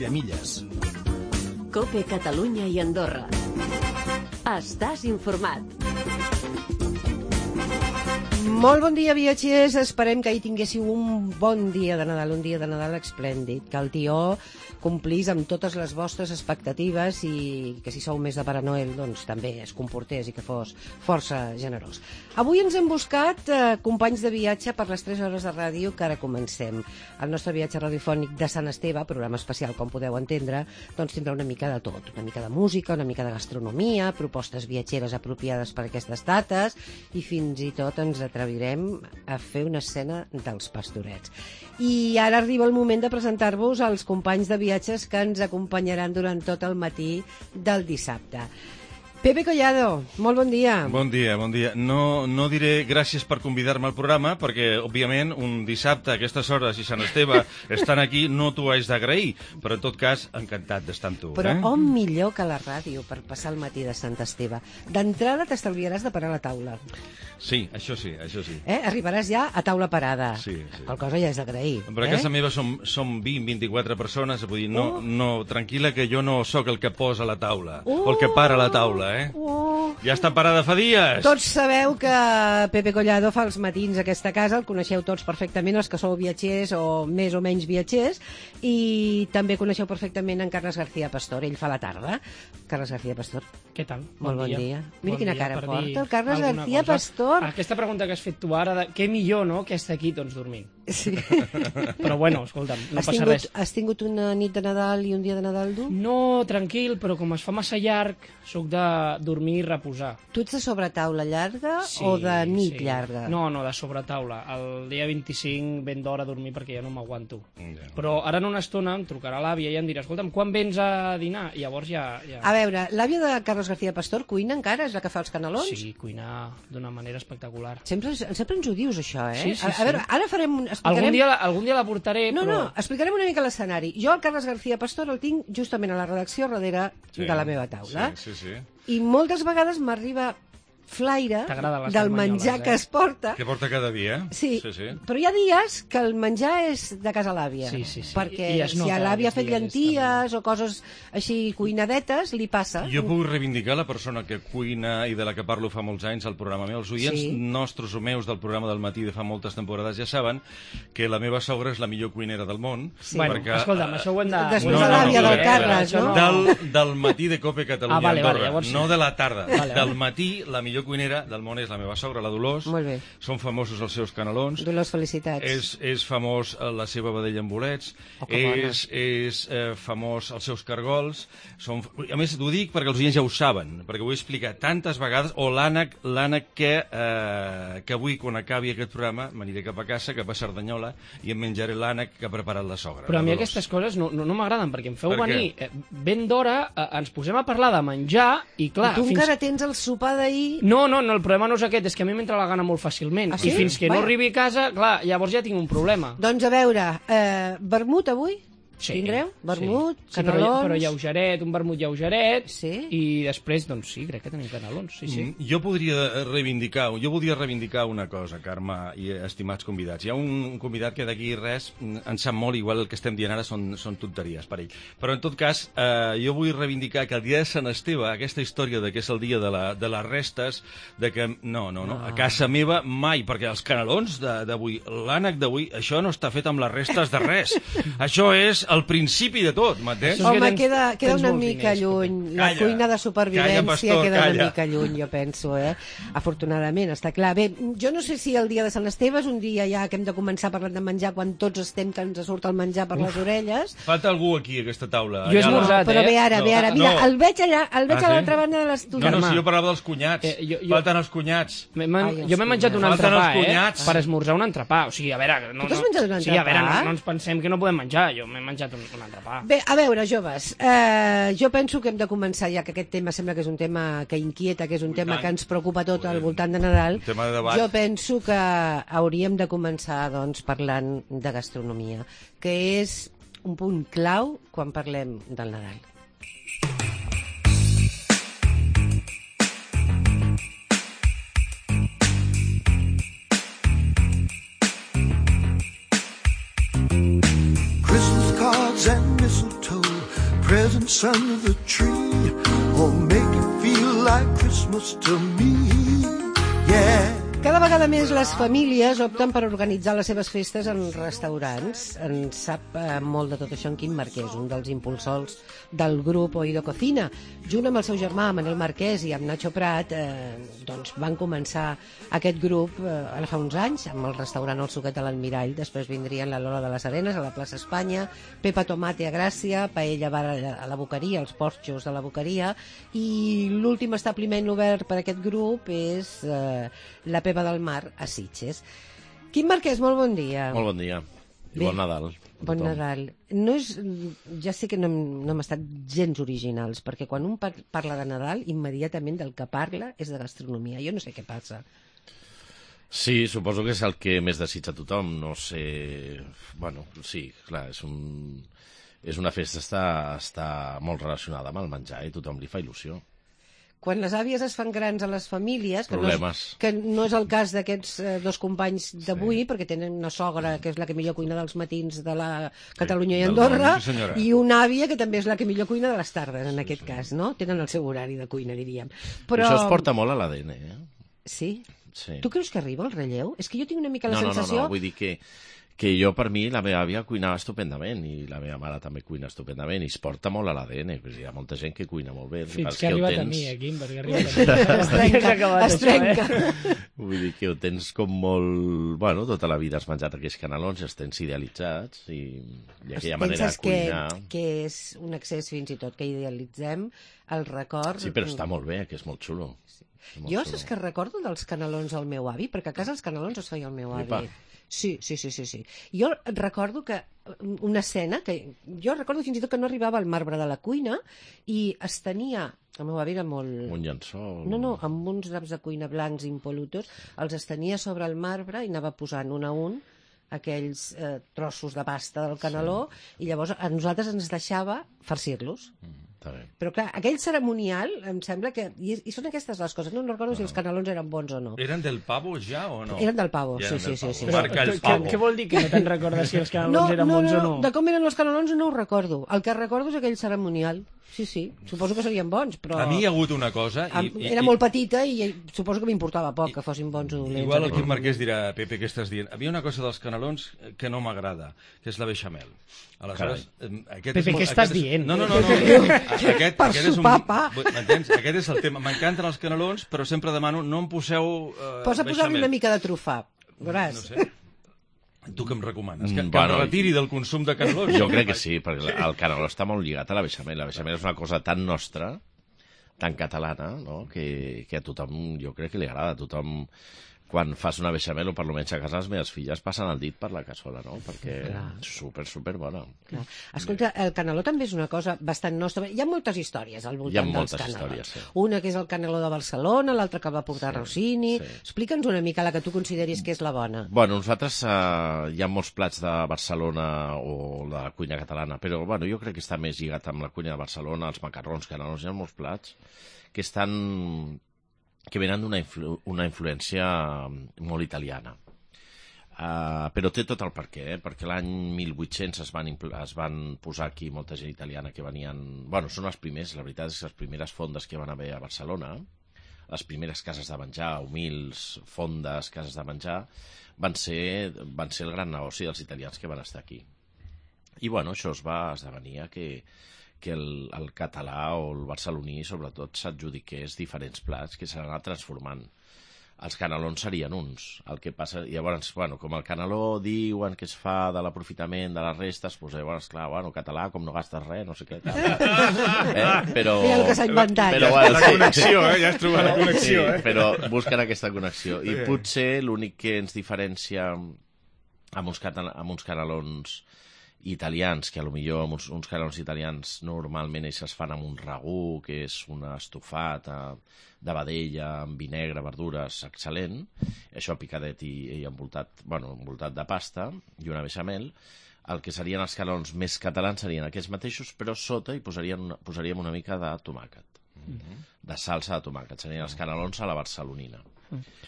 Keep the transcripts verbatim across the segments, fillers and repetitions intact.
Miramilles. COPE Catalunya i Andorra. Estàs informat. Molt bon dia, viatgers. Esperem que hi tinguéssiu un bon dia de Nadal, un dia de Nadal esplèndid, que el tió complís amb totes les vostres expectatives i que si sou més de Pare Noel, doncs també es comportés i que fos força generós. Avui ens hem buscat eh, companys de viatge per les tres hores de ràdio que ara comencem. El nostre viatge radiofònic de Sant Esteve, programa especial, com podeu entendre, doncs tindrà una mica de tot, una mica de música, una mica de gastronomia, propostes viatgeres apropiades per aquestes dates i fins i tot ens atrevirem a fer una escena dels Pastorets. I ara arriba el moment de presentar-vos als companys de viatges que ens acompanyaran durant tot el matí del dissabte. Pepe Collado, molt bon dia. Bon dia, bon dia. No, no diré gràcies per convidar-me al programa, perquè, òbviament, un dissabte a aquestes hores i Sant Esteve estan aquí, no t'ho haig d'agrair, però, en tot cas, encantat d'estar amb tu. Però eh? on millor que la ràdio per passar el matí de Sant Esteve? D'entrada t'estalviaràs de parar a la taula. Sí, això sí, això sí. Eh? Arribaràs ja a taula parada. Sí, sí. Qual cosa ja és d'agrair. Però a eh? casa meva som, som vint, vint-i-quatre persones, vull dir, no, Oh. no, tranquil·la que jo no sóc el que posa la taula, Oh. o el que para la taula, eh? Oh. Ja està parada fa dies! Tots sabeu que Pepe Collado fa els matins a aquesta casa, el coneixeu tots perfectament, els que sou viatgers o més o menys viatgers, i també coneixeu perfectament en Carles García Pastor, ell fa la tarda. Carles García Pastor. Què tal? Molt bon dia. Mira Bon quina dia cara per porta dir el Carles alguna García cosa. Pastor. Aquesta pregunta que has fet tu ara, de què millor, no?, que estar aquí tots dormint. Sí. Però bueno, escolta'm, no has passa tingut, res. Has tingut una nit de Nadal i un dia de Nadal dur? No, tranquil, però com es fa massa llarg, sóc de dormir i reposar. Tu ets de sobretaula llarga Sí, o de nit sí. llarga? No, no, de sobretaula. El dia vint-i-cinc ben d'hora a dormir perquè ja no m'aguanto. Ja. Però ara en una estona em trucarà l'àvia i em dirà, escolta'm, quan vens a dinar? I llavors ja... ja... A veure, l'àvia de Carles García Pastor cuina encara? És la que fa els canelons? Sí, cuinar d'una manera espectacular. Sempre, sempre ens ho dius, això, eh? Sí, sí, a, a veure, ara farem... un- Explicarem... Algun dia, la- algun dia la portaré, No, però... no, explicarem una mica l'escenari. Jo, el Carles García Pastor, el tinc justament a la redacció darrere Sí, de la meva taula. Sí, sí, sí. I moltes vegades m'arriba flaire T'agraden les del carmanyoles, menjar eh? que es porta. Que porta cada dia. Sí, sí, sí. però hi ha dies que el menjar és de casa l'àvia. Sí, sí, sí. Perquè I es si nota l'àvia ha fet aquests dies, llenties o coses així cuinadetes, li passa. Jo puc reivindicar la persona que cuina i de la que parlo fa molts anys al programa meu. Els oients Sí. nostres o meus del programa del matí de fa moltes temporades ja saben que la meva sogra és la millor cuinera del món. Sí. Bueno, perquè, escolta'm, això ho hem de... Després ho hem de l'àvia del eh? Carles, Això no? Del, del matí de Cope Catalunya Ah, vale, vale, Andorra, llavors sí. no de la tarda. Vale, del vale. matí, la millor cuinera del món és la meva sogra, la Dolors. Molt bé. Són famosos els seus canelons. Dolors, felicitats. És, és famós eh, la seva vedella amb bolets, Oh, que bona. és, és eh, famós els seus cargols. Són, a més, t'ho dic perquè els oients ja ho saben, perquè ho he explicat tantes vegades, o l'ànec l'ànec que, eh, que avui, quan acabi aquest programa, m'aniré cap a casa, cap a Cerdanyola, i em menjaré l'ànec que ha preparat la sogra. Però a la mi Dolors. aquestes coses no, no, no m'agraden, perquè em feu Per què? venir eh, ben d'hora, eh, ens posem a parlar de menjar, i clar... I tu fins... encara tens el sopar d'ahir... No, no, no, el problema no és aquest, és que a mi m'entra la gana molt fàcilment. Ah, sí? I fins que Vaja. no arribi a casa, clar, llavors ja tinc un problema. Doncs a veure, eh, vermut avui? Tindreu? Vermut, sí. Sí, però, canelons... però lleugeret, un vermut lleugeret, Sí? i després, doncs sí, crec que tenim canelons, sí, sí. Mm, Jo podria reivindicar, jo voldria reivindicar una cosa, Carme i estimats convidats. Hi ha un convidat que d'aquí res mm, en sap molt, igual el que estem dient ara són, són tonteries per ell. Però en tot cas, eh, jo vull reivindicar que el dia de Sant Esteve, aquesta història de que és el dia de, la, de les restes, de que no, no, no, a casa meva mai, perquè els canelons de- d'avui, l'ànec d'avui, això no està fet amb les restes de res. Això és el principi de tot, m'entens? Això és que Home, tens- queda, queda tens una molts mica diners, lluny. Pepe. La Calla. cuina de supervivència Calla, pastor, queda una calla. mica lluny, jo penso, eh? Afortunadament, està clar. Bé, jo no sé si el dia de Sant Esteve és un dia ja que hem de començar parlant de menjar quan tots estem que ens surt el menjar per les orelles. Falta algú aquí, a aquesta taula. Jo he Allà a la- esmorzat, Però eh? ve ara, No. ve ara. Mira, No. el veig allà, el veig Ah, a sí? l'altra banda de No, l'estudi. no, si jo parlava dels cunyats. Eh, jo- jo- Falten els cunyats. M'he men- Ai, els jo m'he menjat un cunyats. Falten entrepà, els eh? cunyats. Per esmorzar un entrepà. O sigui, a veure... No, Tu t'has no... menjat un Sí, a veure, entrepà? no, no ens pensem que no podem menjar. Jo m'he menjat un, un entrepà. Bé, a veure, joves, eh, jo penso que hem de començar ja, que aquest tema sembla que és un tema que inquieta, que és un I tema tant. que ens preocupa tot al voltant de Nadal. Un tema de debat. Jo penso que hauríem de començar, doncs, parlant de gastronomia, que és un punt clau quan parlem del Nadal. Christmas cards and mistletoe presents under the tree will make it feel like Christmas to me. Yeah. Cada vegada més les famílies opten per organitzar les seves festes en restaurants. En sap eh, molt de tot això en Quim Marquès, un dels impulsors del grup Oído Cocina. Junt amb el seu germà, Manel Marquès, i amb Nacho Prat, eh, doncs van començar aquest grup eh, ara fa uns anys, amb el restaurant El Suquet de l'Almirall. Després vindrien la Lola de les Arenes, a la plaça Espanya, Pepa Tomate a Gràcia, Paella Bar a la Boqueria, els porxos de la Boqueria, i l'últim establiment obert per aquest grup és eh, la Pepa del Mar a Sitges. Quim Marquès, molt bon dia. Molt bon dia. I Bé, bon Nadal. Bon Nadal. No és, ja sé que no, hem- no hem estat gens originals, perquè quan un par- parla de Nadal, immediatament del que parla és de gastronomia. Jo no sé què passa. Sí, suposo que és el que més desitja tothom. No sé... Bueno, sí, clar, és un... És una festa està, està molt relacionada amb el menjar i tothom li fa il·lusió. Quan les àvies es fan grans a les famílies, que, no Problemes. és, que no és el cas d'aquests eh, dos companys d'avui, sí, perquè tenen una sogra que és la que millor cuina dels matins de la Catalunya i del Andorra, món, sí, senyora. i una àvia que també és la que millor cuina de les tardes, en aquest cas, no? Tenen el seu horari de cuina, diríem. Però... Això es porta molt a l'A D N, eh? Sí? Sí. Tu creus que arriba el relleu? És que jo tinc una mica la No, no, no, sensació... no, vull dir que, que jo, per mi, la meva àvia cuinava estupendament i la meva mare també cuina estupendament i es porta molt a l'A D N. Hi ha molta gent que cuina molt bé. el Fins pas que ha ho arribat a tens- mi, eh, Quim, perquè ha arribat a mi. Es trenca, Ja ha acabat es això, trenca. eh? Vull dir que ho tens com molt... Bueno, tota la vida has menjat aquells canelons i els tens idealitzats i, i aquella manera de Penses que, cuinar... que és un excés fins i tot que idealitzem el record... Sí, però està molt bé, que és molt xulo. És molt Jo xulo. saps que recordo dels canelons al meu avi, perquè a casa els canelons els feia el meu avi. Epa. Sí, sí, sí, sí, sí. Jo recordo que una escena, que jo recordo fins i tot que no arribava al marbre de la cuina i es tenia, el meu avi era molt... Un llençol... No, no, amb uns draps de cuina blancs impolutos, els estenia sobre el marbre i anava posant un a un aquells eh, trossos de pasta del caneló, sí, i llavors a nosaltres ens deixava farcir-los. Està bé. Però clar, aquell cerimonial em sembla que... I, i són aquestes les coses, no, no recordo si els canelons eren bons o no. Eren del pavo ja o no? Eren del pavo, Ja sí, eren sí, del sí, pavo. sí. Marca el Què, pavo. què vol dir que no te'n recordes si els No, canelons eren no, bons no, o no? de com eren els canelons no ho recordo. El que recordo és aquell cerimonial. Sí, sí, suposo que serien bons, però... A mi hi ha hagut una cosa... I, Am- i, Era i, molt petita i suposo que m'importava poc que fossin bons o dolents. Igual el aquells. Quim Marquès dirà, Pepe, què estàs dient? Havia una cosa dels canelons que no m'agrada, que és la beixamel. Aleshores, em, aquest Pepe, és, què aquest estàs és, dient? No, no, no. no, no. Aquest, Per aquest és un... sopar pa. M'entens? Aquest és el tema. M'encanten els canelons, però sempre demano, no em poseu uh, Posa posar-li beixamel. una mica de trufà, veuràs. No sé. Tu què em recomanes? Que, Mm, que bueno, em retiri del consum de canelons? Jo crec que sí, perquè el caneló està molt lligat a la beixamel. La beixamel és una cosa tan nostra, tan catalana, no? que, que a tothom, jo crec que li agrada. A tothom, quan fas una beixamel, o per almenys a casa les meves filles passen el dit per la cassola, no? Perquè és super, super bona. Clar. Escolta, el caneló també és una cosa bastant nostra. Hi ha moltes històries al Hi ha voltant dels moltes canelons. històries, sí. Una que és el caneló de Barcelona, l'altra que va portar Sí, Rossini. sí. Explica'ns una mica la que tu consideris que és la bona. Bueno, nosaltres eh, hi ha molts plats de Barcelona o de la cuina catalana, però bueno, jo crec que està més lligat amb la cuina de Barcelona, els macarrons, canelons, hi ha molts plats que estan que venen d'una influ una influència molt italiana. Uh, però té tot el perquè, eh? Perquè l'any mil vuit-cents es van, es van posar aquí molta gent italiana que venien... Bueno, són els primers, la veritat és que les primeres fondes que van haver a Barcelona, les primeres cases de menjar, humils, fondes, cases de menjar, van ser, van ser el gran negoci dels italians que van estar aquí. I bueno, això es va esdevenir que, que el, el català o el barceloní sobretot s'adjudiqués diferents plats que s'han anat transformant. Els canelons serien uns. El que passa... Llavors, bueno, com el caneló diuen que es fa de l'aprofitament de les restes, doncs llavors, clar, bueno, català, com no gastes res, no sé què. Tal. Eh? Però... Mira el que s'ha inventat. Però, La bueno, sí. connexió, eh? Ja has trobat la connexió, Sí, eh? però busquen aquesta connexió. I Sí. potser l'únic que ens diferencia amb uns, catala- amb uns canelons italians, que a lo millor amb uns, uns canelons italians normalment ells es fan amb un ragú, que és un estofat eh, de vedella amb vi negre, verdures, excel·lent, això picadet i, i envoltat, bueno, envoltat de pasta i una beixamel. El que serien els canelons més catalans serien aquests mateixos, però sota hi posarien una, posaríem una mica de tomàquet, de salsa de tomàquet. Serien els canelons a la barcelonina.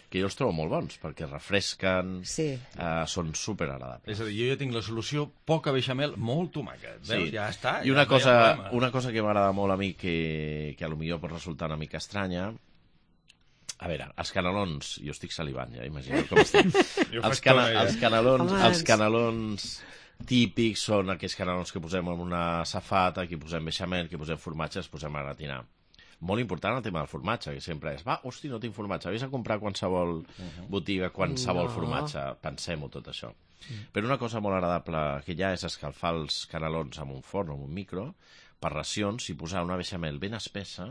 que jo els trobo molt bons, perquè refresquen, Sí. eh, són superagradables. És a dir, jo ja tinc la solució poca beixamel, molt tomàquet. Veus? Ja està. I una ja no hi ha cosa, problema. una cosa que m'agrada molt a mi, que, que a lo millor pot resultar una mica estranya, a veure, els canelons, jo estic salivant, ja imagineu com estic. Jo fa els, cana, estona, ja. els, canelons, Home, els ens- canelons típics són aquells canelons que posem en una safata, que posem beixamel, que posem formatge, els posem a gratinar. Molt important el tema del formatge, que sempre és, va, hosti, no tinc formatge, vés a comprar qualsevol botiga, qualsevol No. formatge, pensem-ho tot això. Però una cosa molt agradable que hi ha és escalfar els canelons amb un forn o amb un micro, per racions, i posar una beixamel ben espessa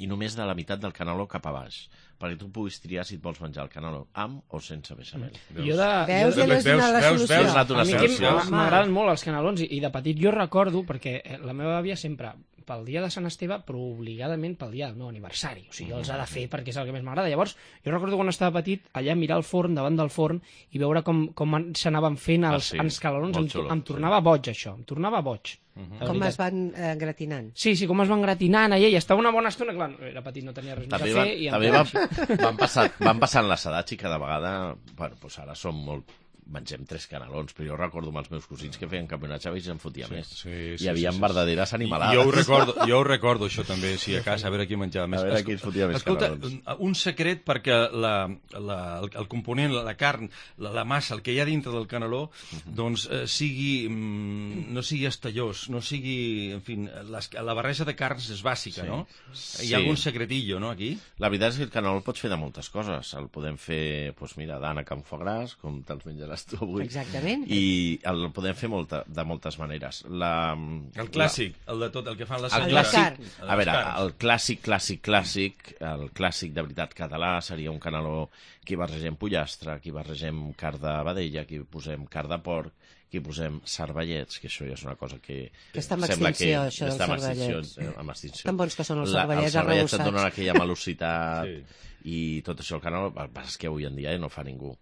i només de la meitat del caneló cap a baix, perquè tu puguis triar si et vols menjar el caneló amb o sense beixamel. Jo de, Veus jo que de, no és una la veus, solució? veus, donat una a mi que solució. m- m'agraden molt els canelons i, i de petit jo recordo, perquè eh, la meva àvia sempre, pel dia de Sant Esteve, però obligadament pel dia del meu aniversari. O sigui, jo els ha de fer perquè és el que més m'agrada. Llavors, jo recordo quan estava petit, allà mirar el forn, davant del forn, i veure com, com an- s'anaven fent els, Ah, sí, els canelons. molt Em, xulo, em tornava boig, això. Em tornava boig. de Com veritat. es van eh, gratinant. Sí, sí, com es van gratinant allà, i estava una bona estona, clar, era petit, no tenia res més També, a van, fer, i em també posava- van, van, passar, van passant les edats i cada vegada, bueno, doncs ara som molt, mengem tres canelons, però jo recordo amb els meus cosins que feien campionats i se'n fotia més. Sí, sí, Hi havia sí, sí, verdaderes I animalades. Jo ho, recordo, jo ho recordo, això també, si a casa, a veure qui menjava més. A veure qui ens fotia més Escolta, canelons. un secret perquè la, la, el, el component, la, la carn, la, la massa, el que hi ha dintre del caneló, doncs eh, sigui, mm, no sigui estallós, no sigui, en fi, les, la barreja de carns és bàsica, Sí. no? Sí. Hi ha algun secretillo, no, aquí? La veritat és que el caneló el pots fer de moltes coses. El podem fer, doncs mira, d'ànec amb foie gras, com te'ls menjaràs tu avui. Exactament. I el podem fer molta, de moltes maneres. La, El clàssic, el de tot, el que fan les El El de senyores. carn. Les A veure, carns. el clàssic, clàssic, clàssic, el clàssic de veritat català seria un caneló que hi barregem pollastre, que hi barregem carn de vedella, que hi posem carn de porc, que hi posem cervellets, que això ja és una cosa que... Que està en sembla extinció, això dels està en extinció, cervellets. eh, en extinció. Tan bons que són els La- cervellets Els cervellets et arrebossats. donen aquella malocitat Sí. i tot això el caneló, el que passa és que avui en dia ja no fa ningú.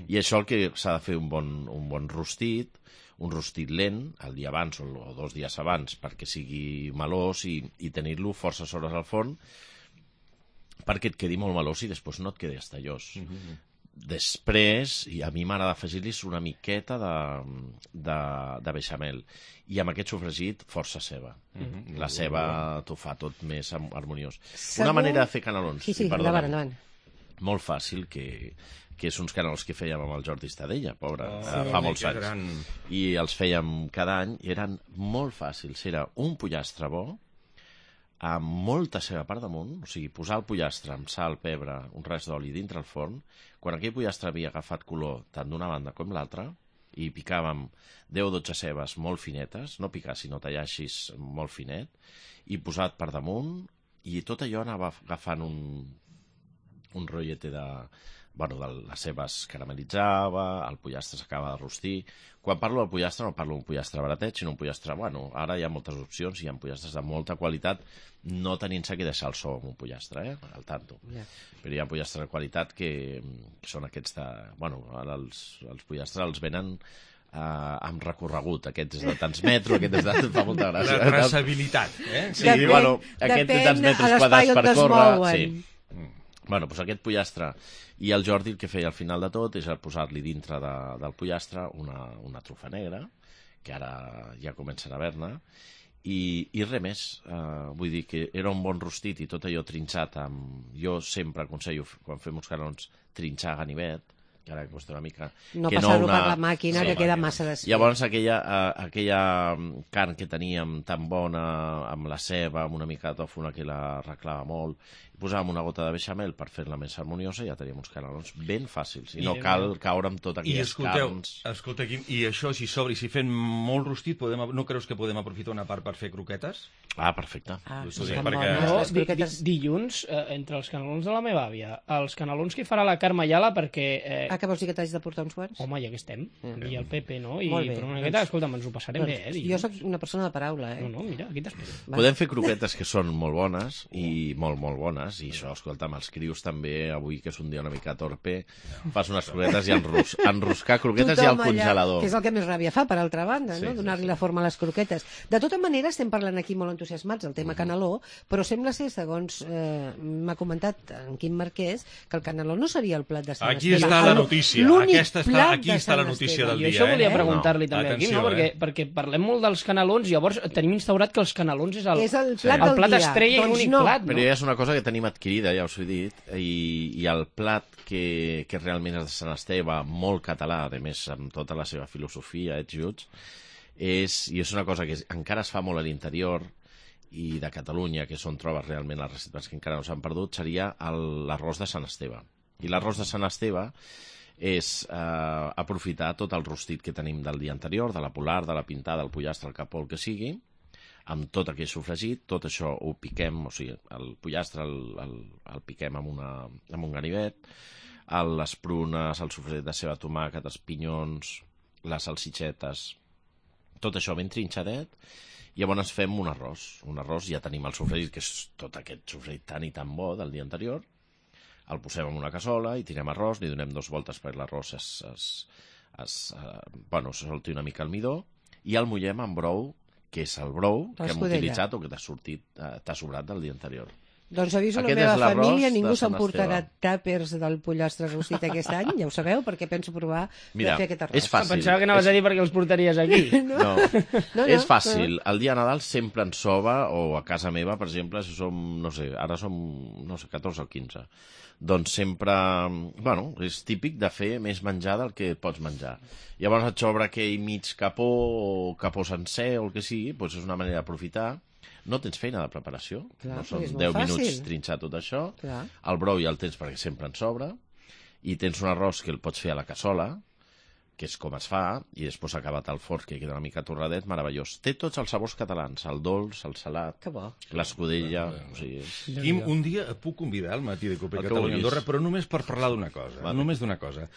I això el que s'ha de fer un bon, un bon rostit, un rostit lent, el dia abans o, o dos dies abans, perquè sigui melós i, i tenir-lo forces hores al forn, perquè et quedi molt melós i després no et quedi estallós. Després, i a mi m'agrada afegir-li una miqueta de, de, de beixamel. I amb aquest sofregit, força ceba. La ceba t'ho fa tot més ham- harmoniós. Segur- Una manera de fer canelons, Sí, sí, i perdona'm, endavant, endavant. molt fàcil, que, que és uns canelons que fèiem amb el Jordi Estadella, pobre, Oh, eh, sí. fa molts Que anys. gran. I els fèiem cada any, i eren molt fàcils. Era un pollastre bo, amb molta ceba per damunt, o sigui, posar el pollastre amb sal, pebre, un res d'oli dintre el forn. Quan aquell pollastre havia agafat color tant d'una banda com l'altra, i picàvem deu o dotze cebes molt finetes, no picar, sinó tallar així molt finet, i posat per damunt, i tot allò anava agafant un, un rotllete de... Bueno, de les cebes caramelitzava, el pollastre s'acaba de rostir. Quan parlo del pollastre no parlo d'un pollastre baratet, sinó un pollastre... Bueno, ara hi ha moltes opcions, hi ha pollastres de molta qualitat, no tenint-se que deixar el so amb un pollastre, eh? Al tanto. Ja. Però hi ha pollastres de qualitat que, que són aquests de... Bueno, ara els, els pollastres els venen eh, amb recorregut. Aquest és de tants metres, aquest és de... Fa molta gràcia. La traçabilitat, eh? Sí, bueno, aquest té tants metres quadrats per córrer. Sí. Bueno, doncs aquest pollastre, i el Jordi el que feia al final de tot és el posar-li dintre de, del pollastre una, una trufa negra, que ara ja comencen a haver-ne, i, i res més. Uh, vull dir que era un bon rostit i tot allò trinxat amb... Jo sempre aconsello, quan fem uns canons, trinxar a ganivet, que ara costa una mica... No que passar-ho una- per la màquina, Sí, que queda màquina. massa desfet. Llavors aquella, uh, aquella mm, carn que teníem tan bona, amb la ceba, amb una mica de tòfona que la arreglava molt, i posàvem una gota de beixamel per fer-la més harmoniosa i ja teníem uns canelons ben fàcils. I, I- no cal caure amb totes I aquelles escolteu, carns. escolta, Quim, i això, si s'obre i si fent molt rostit, podem, no creus que podem aprofitar una part per fer croquetes? Ah, perfecte. Ah, Ho estan dic bones, perquè- Jo, les di, di, croquetes. dilluns, eh, entre els canelons de la meva àvia, els canelons que farà la Carme Ayala, perquè eh, que vols dir que t'has de portar uns quants? Home, ja que estem, i el Pepe, no? I Molt bé, per una doncs- miqueta, escolta'm, ens ho passarem bé, eh? Jo dilluns. sóc una persona de paraula, eh? No, no, mira, aquí t'espero. Va. Podem fer croquetes que són molt bones, i molt, molt bones, i això, escolta'm, els crios també, avui que és un dia una mica torpe, fas unes croquetes i enros enroscar croquetes i al Tothom allà, congelador. que és el que més ràbia fa, per altra banda, Sí, no? sí, Donar-li sí. la forma a les croquetes. De tota manera, estem parlant aquí molt entusiasmats del tema caneló, però sembla ser, segons eh, m'ha comentat en Quim Marquès, que el caneló no seria el plat de Sant Aquí Esteve. està la El- notícia. l'únic Aquesta està- plat aquí de està Sant la notícia Esteve. del I dia, això eh? volia No. preguntar-li també a Atenció, Quim, no? Perquè, eh? perquè parlem molt dels canelons, llavors tenim instaurat que els canelons és el, És el plat el del plat dia. estrella i Doncs l'únic no. plat, no? Però ja és una cosa que tenim adquirida, ja us ho he dit, i, i el plat que, que realment és de Sant Esteve, molt català, a més amb tota la seva filosofia, ets juts, és, i és una cosa que és, encara es fa molt a l'interior i de Catalunya, que és on trobes realment les receptes que encara no s'han perdut, seria el- l'arròs de Sant Esteve. I l'arròs de Sant Esteve és eh, aprofitar tot el rostit que tenim del dia anterior, de la polar, de la pintada, el pollastre, el capó, el que sigui, amb tot aquell sofregit, tot això ho piquem, o sigui, el pollastre el, el, el piquem amb, una, amb un ganivet, el, les prunes, el sofregit de ceba, tomàquet, els pinyons, les salsitxetes, tot això ben trinxadet, i llavors fem un arròs. Un arròs, ja tenim el sofregit, que és tot aquest sofregit tan i tan bo del dia anterior, el posem en una cassola i tirem arròs, li donem dos voltes perquè l'arròs es, es, es, eh, bueno, se solti una mica el midó, i el mullem amb brou, que és el brou que hem L'escudella. utilitzat o que t'ha sortit, eh, t'ha sobrat del dia anterior. Doncs aviso la Aquest meva és l'arròs família, de ningú Sant s'emportarà Esteve. tàpers del pollastre rostit aquest any, ja ho sabeu, perquè penso provar Mira, de fer aquest arròs. és fàcil. Pensava que anaves a dir perquè els portaries aquí. No, No, no, és fàcil. El dia de Nadal sempre ens soba, o a casa meva, per exemple, si som, no sé, ara som, no sé, catorze o quinze, doncs sempre, bueno, és típic de fer més menjar del que pots menjar. Llavors et sobra aquell mig capó o capó sencer o el que sigui, doncs és una manera d'aprofitar. No tens feina de preparació, Clar, no són perquè és molt deu fàcil. minuts trinxar tot això, Clar. el brou ja el tens perquè sempre en sobra, i tens un arròs que el pots fer a la cassola, que és com es fa, i després acabat al forn, que queda una mica torradet, meravellós. Té tots els sabors catalans, el dolç, el salat, Que bo. l'escudella, o sigui... és- Quim, un dia et puc convidar al matí de Copa El que Catalunya vulguis. Andorra, però només per parlar d'una cosa, Vale. només d'una cosa.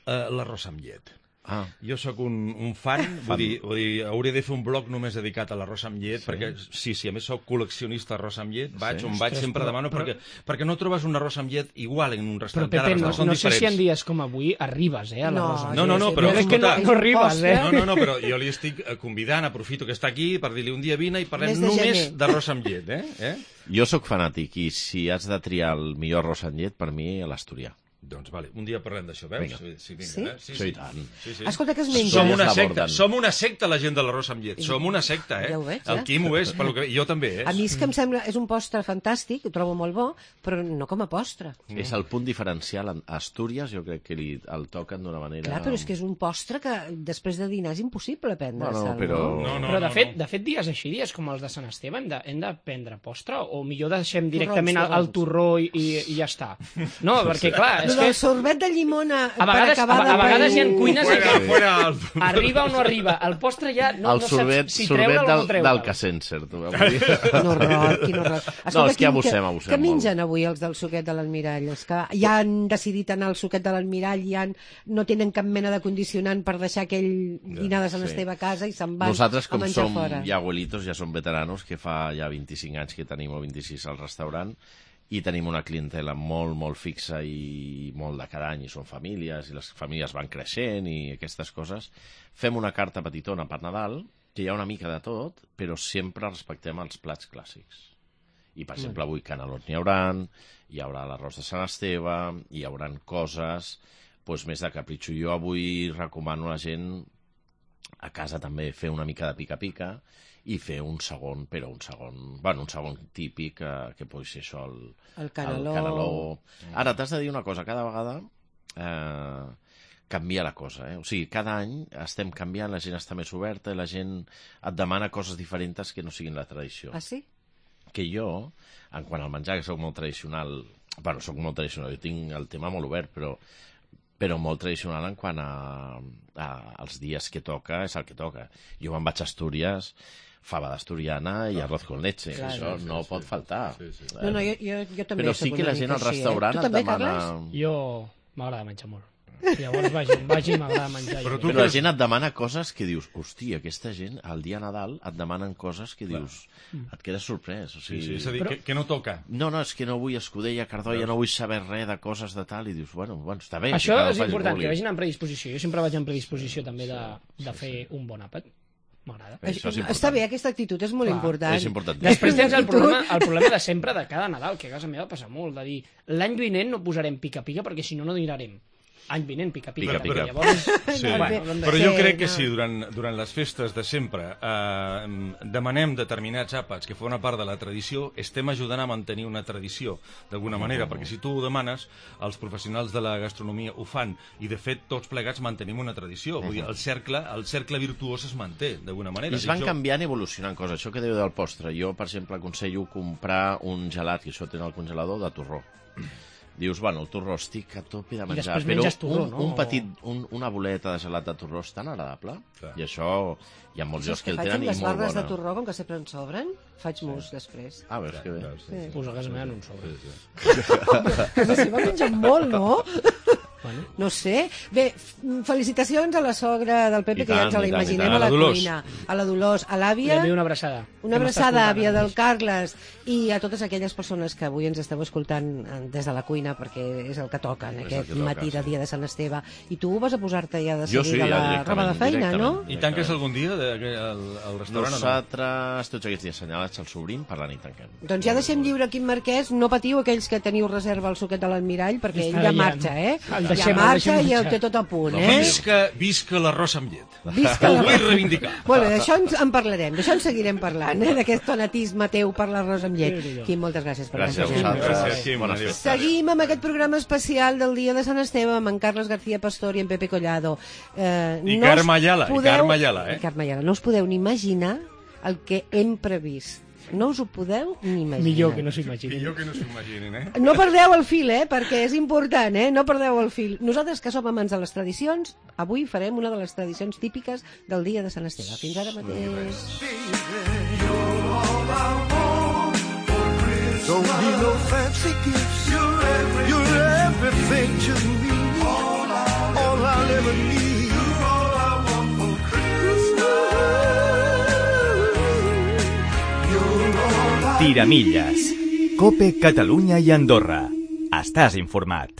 Uh, L'arròs amb llet. Ah, Jo sóc un, un fan, vull dir, vull dir, hauria de fer un blog només dedicat a l'arròs amb llet, sí. perquè, sí, sí, a més sóc col·leccionista d'arròs amb llet, vaig Sí. on vaig, Ostres, sempre però- demano, però- perquè, perquè no trobes un arròs amb llet igual en un Però, restaurant. Pepe, Cada no, restaurant són no sé si en diferents. dies com avui arribes, eh, a la No, Rosa. No, no, no, però jo crec que no, escolta, no arribes, eh? No, no, no, però jo li estic eh, convidant, aprofito que està aquí per dir-li un dia vine i parlem Mes de només gener. d'arròs amb llet, eh? eh? jo sóc fanàtic, i si has de triar el millor arròs amb llet, per mi, l'asturià. Doncs vale, un dia parlem d'això, veus? Vinga. Sí, sí, vinga, Sí? Eh? sí, Sí, i tant. Sí, sí. Escolta, què es menja? Som Ja una es secta, l'aborden. som una secta la gent de l'arròs amb llet, som una secta, eh? Ja ho veig, El eh? Quim ho és, pel que... jo també, eh? A mi és que em sembla, és un postre fantàstic, ho trobo molt bo, però no com a postre. Mm. És el punt diferencial. A Astúries jo crec que li, el toquen d'una manera... Clar, però és que és un postre que després de dinar és impossible prendre, Bueno, Sal, però- no? No, no, Però, de no, fet, no. de fet, dies així, dies com els de Sant Esteve, hem de, hem de prendre postre? O millor deixem directament al, al torrons. torró i, i, i ja està? No, perquè, clar, és Lo del que sorbet de llimona a vegades, a, per acabar a vegades hi ha de... cuines en Fuera, què fuera, el... arriba o no arriba. El postre ja no, el no sorbet, saps si sorbet treure'l o del, no treure'l. del Cassencer, tu veus? Quin horror, quin horror. No, és que Quim, abusem, què- abusem Què molt. mengen avui els del suquet de l'Almirall? És que ja han decidit anar al suquet de l'Almirall, ja han, no tenen cap mena de condicionant per deixar aquell dinar de Sant sí. Esteve a casa i se'n van Nosaltres, a com menjar som fora. ja abuelitos, ja som veteranos, que fa ja vint-i-cinc anys que tenim, o vint-i-sis al restaurant, i tenim una clientela molt, molt fixa i molt de cada any, i són famílies, i les famílies van creixent i aquestes coses. Fem una carta petitona per Nadal, que hi ha una mica de tot, però sempre respectem els plats clàssics. I, per exemple, avui canelons n'hi hauran, hi haurà l'arròs de Sant Esteve, hi hauran coses doncs, més de capritxo. Jo avui recomano a la gent a casa també fer una mica de pica-pica i fer un segon, però un segon, bueno, un segon típic, eh, que pot ser això, el, El caneló. el caneló. Ara, t'has de dir una cosa, cada vegada eh, canvia la cosa, eh? O sigui, cada any estem canviant, la gent està més oberta i la gent et demana coses diferents que no siguin la tradició. Ah, sí? Que jo, en quant al menjar, que sóc molt tradicional, bueno, sóc molt tradicional, jo tinc el tema molt obert, però però molt tradicional en quant a, a als dies que toca, és el que toca. Jo me'n vaig a Astúries, fava d'asturiana i arroz con leche. Clar, Això sí, no sí, pot sí. faltar. Sí, sí. No, no, jo, jo, jo també Però soc sí que una la gent mica al així, restaurant eh? Tu et també, demana... Carles? Jo m'agrada menjar molt. Llavors vagi, vagi m'agrada menjar. Però jo. tu Però la creus- gent et demana coses que dius, hòstia, aquesta gent, al dia Nadal, et demanen coses que dius, et quedes sorprès. O Sí, sigui, sí, és a dir, Però- que, que no toca. No, no, és que no vull escudella, Cardolla, no vull saber res de coses de tal, i dius, bueno, bueno està bé. Això que cada és faci el important, que que vulgui. vagin en predisposició. Jo sempre vaig en predisposició també de, de fer un bon àpat. M'agrada. Això és important. Està bé, aquesta actitud és molt Clar, important. És important. Després tens el problema, el problema de sempre de cada Nadal, que a casa meva passa molt, de dir l'any vinent no posarem pica-pica perquè si no, no dinarem. Any vinent, pica-pica. Pica-pica. perquè Llavors, Sí, bueno, bé. però jo Sí, crec que no. si durant, durant les festes de sempre eh, demanem determinats àpats que formen part de la tradició, estem ajudant a mantenir una tradició, d'alguna manera, perquè si tu ho demanes, els professionals de la gastronomia ho fan, i de fet tots plegats mantenim una tradició. Vull dir, el cercle, el cercle virtuós es manté, d'alguna manera. I es van Dic, jo- canviant i evolucionant coses. Això que dèieu del postre. Jo, per exemple, aconsello comprar un gelat, que això tenen al congelador, de torró. Dius, bueno, el torró estic a tope de menjar, després però menges torró, un, no? un petit, un, una boleta de gelat de torró és tan agradable. Clar. I això, hi ha molts llocs Saps que què el faig tenen amb i les molt barres de bona. torró, com que sempre en sobren? Faig mus després. Ah, veus que bé. Veus, sí, sí. pues a casa meva no en sobra. Que la seva mengen molt, no? Bueno. No sé. Bé, f- felicitacions a la sogra del Pepe, I que ja tant, ens la i tant, i imaginem tant. a la A la Dolors. cuina. A la Dolors, a Li l'àvia, envio una abraçada. una que m'està abraçada, escoltant àvia ara del mateix. Carles, i a totes aquelles persones que avui ens esteu escoltant eh, des de la cuina, perquè és el que toca en És el aquest que toca, matí de sí. dia de Sant Esteve. I tu vas a posar-te ja de Jo sí, seguida ja la directament, roba de feina, no? directament. I tanques algun dia de, de, al, al restaurant Nosaltres, tots aquests dies assenyalats, el sobrim, per la nit tanquem. Doncs ja deixem lliure aquí en Marquès, no patiu aquells que teniu reserva al suquet de l'Almirall, perquè ell Està ja ja- marxa, eh? el Ja deixem, el marxa deixem i el marxar. té tot a punt, no? eh? Visca, visca l'arròs amb llet. Visca Ho la- vull reivindicar. Molt bé, d'això ens en parlarem, d'això en seguirem parlant, eh? D'aquest fanatisme teu per l'arròs amb llet. Déu-n'hi-do. Quim, moltes gràcies per Gràcies a acompanyar-nos. vosaltres. Gràcies, Quim. Bones Adéu. festes. Seguim amb aquest programa especial del dia de Sant Esteve amb en Carles García Pastor i en Pepe Collado. Eh, I us Carme Ayala, i podeu- Carme Ayala, eh? I Carme Ayala. No us podeu ni imaginar el que hem previst. No us ho podeu ni imaginar. Millor que no s'ho imagini. Millor que no s'ho imaginin, eh? No perdeu el fil, eh? Perquè és important, eh? No perdeu el fil. Nosaltres, que som amants de les tradicions, avui farem una de les tradicions típiques del dia de Sant Esteve. Fins ara mateix. Don't need no fancy gifts. You're, you're everything to me. All, all I'll ever need. You're all I want for Christmas. You're all I Tiramilles. Cope Catalunya i Andorra. Estàs informat.